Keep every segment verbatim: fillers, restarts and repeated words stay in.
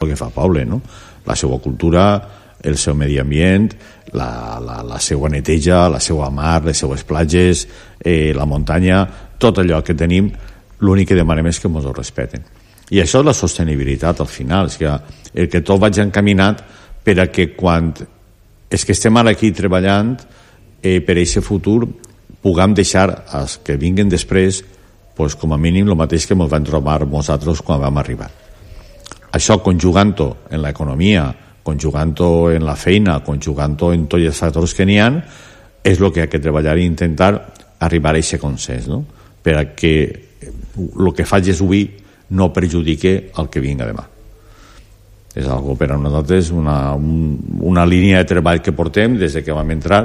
el que fa poble, no? La seva cultura, el seu medi ambient, la, la, la seva neteja, la seva mar, les seues platges, eh, la muntanya, tot allò que tenim, l'únic que demanem és que ens ho respeten. I això és la sostenibilitat al final, és que el que tot vaig encaminat per a que quan és que estem ara aquí treballant eh, per a aquest futur puguem deixar als que vinguin després pues, com a mínim el mateix que ens vam trobar nosaltres quan vam arribar. Això conjugant-ho en l'economia, conjugant-ho en la feina, conjugant-ho en tots els factors que n'hi ha, és el que ha de treballar i intentar arribar a aquest consens, no? Per a que el que facis avui no perjudique el que vinga demà. És algo per a nosaltres una, un, una línia de treball que portem des que vam entrar,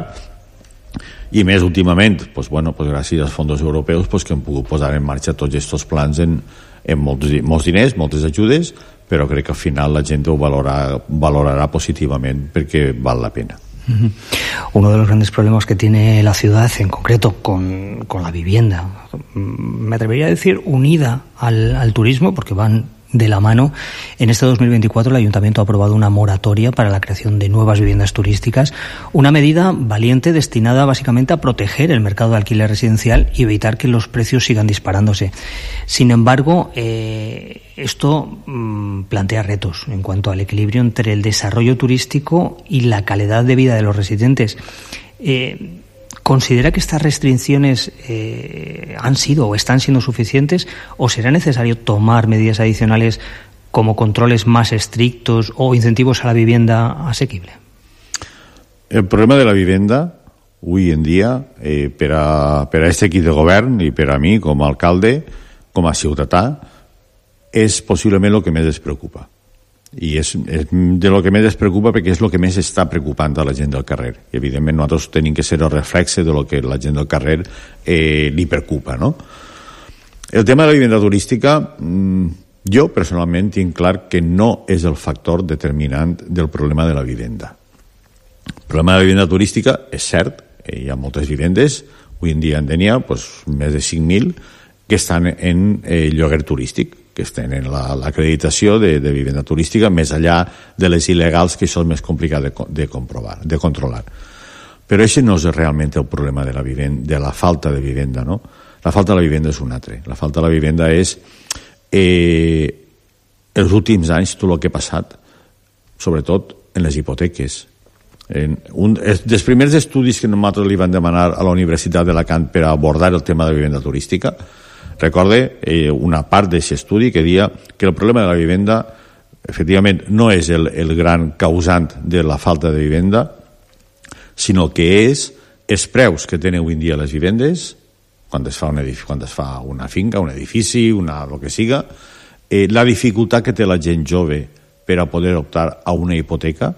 i més últimament, pues, bueno, pues, gràcies als fons europeus pues, que hem pogut posar en marxa tots aquests plans en, en molts, molts diners, moltes ajudes, però crec que al final la gent ho valorarà, valorará positivamente porque vale la pena. Uh-huh. Uno de los grandes problemas que tiene la ciudad, en concreto con, con la vivienda, me atrevería a decir unida al, al turismo, porque van de la mano. En este dos mil veinticuatro el Ayuntamiento ha aprobado una moratoria para la creación de nuevas viviendas turísticas, una medida valiente destinada básicamente a proteger el mercado de alquiler residencial y evitar que los precios sigan disparándose. Sin embargo, eh, esto mmm, plantea retos en cuanto al equilibrio entre el desarrollo turístico y la calidad de vida de los residentes. Eh, ¿Considera que estas restricciones eh, han sido o están siendo suficientes, o será necesario tomar medidas adicionales como controles más estrictos o incentivos a la vivienda asequible? El problema de la vivienda, avui en dia, eh, per a, per a este equip de govern i per a mi com a alcalde, com a ciutadà, és possiblement el que més es preocupa. I és, és de lo que més es preocupa perquè és el que més està preocupant a la gent del carrer. I evidentment nosaltres tenim que ser el reflexe de lo que la gent del carrer eh, li preocupa, no? El tema de la vivienda turística, mmm, jo personalment tinc clar que no és el factor determinant del problema de la vivenda. El problema de la vivenda turística és cert, eh, hi ha moltes vivendes, avui en dia en Denia pues, més de cinc mil que estan en eh, lloguer turístic, que tenen l'acreditació la, de, de vivenda turística, més allà de les il·legals, que això és més complicat de, de comprovar, de controlar. Però això no és realment el problema de la, vivenda, de la falta de vivenda, no? La falta de la vivenda és un altre. La falta de la vivenda és eh, els últims anys tot el que ha passat, sobretot en les hipoteques. En un, dels primers estudis que nosaltres li van demanar a la Universitat d'Alacant per abordar el tema de la vivenda turística, recorde eh, una part d'aquest estudi que deia que el problema de la vivenda efectivament no és el, el gran causant de la falta de vivenda, sinó que és els preus que tenen avui en dia les vivendes, quan es fa, un edifici, quan es fa una finca, un edifici, una, el que siga, eh, la dificultat que té la gent jove per a poder optar a una hipoteca,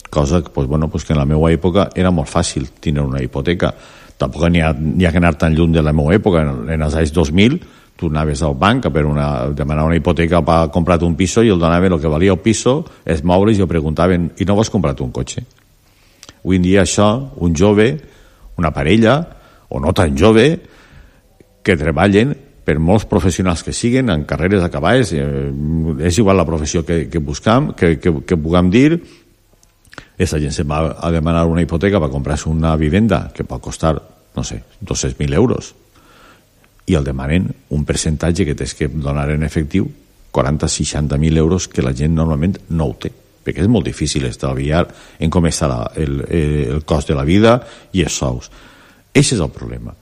cosa pues, bueno, pues que en la meva època era molt fàcil tenir una hipoteca. Tampoc n'hi ha, n'hi ha que anar tan lluny de la meva època. En, en els anys dos mil tu anaves al banc per una, demanar una hipoteca per comprar un piso i el donaven el que valia el piso, els mobles, i el preguntaven, i no vols comprar un cotxe? Avui en dia això, un jove, una parella, o no tan jove, que treballen per molts professionals que siguen en carreres acabades, eh, és igual la professió que, que buscam, que, que, que puguem dir, aquesta gent se va a demanar una hipoteca per comprar-se una vivenda que pot costar, no sé, dos-cents mil euros, i el demanen un percentatge que tens que donar en efectiu, quaranta a seixanta mil euros, que la gent normalment no ho té, perquè és molt difícil estalviar en com està la, el, el cost de la vida i els sous. Aquest és el problema.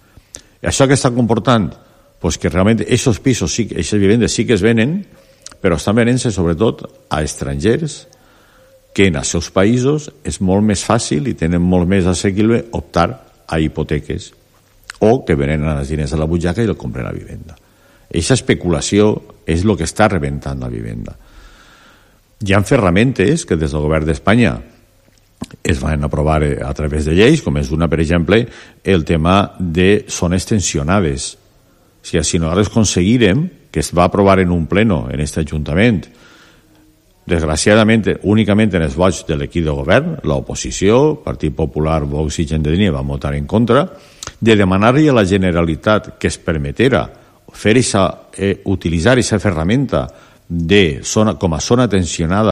Això que està comportant pues que realment aquests pisos, sí, aquestes vivendes sí que es venen, però estan venent-se sobretot a estrangers que en els seus països és molt més fàcil i tenen molt més assequible optar a hipoteques, o que venen els diners a la butxaca i el compren a la vivenda. Aquesta especulació és el que està rebentant la vivenda. Hi ha ferramentes que des del govern d'Espanya es van aprovar a través de lleis, com és una, per exemple, el tema de zones tensionades. O sigui, si nosaltres aconseguirem, que es va aprovar en un pleno en aquest Ajuntament, desgraciadament, únicament en els vots de l'equip de govern, l'oposició, Partit Popular, Vox i Gent de Línia, van votar en contra, de demanar-li a la Generalitat que es permetera fer esa, eh, utilitzar aquesta ferramenta de zona, com a zona tensionada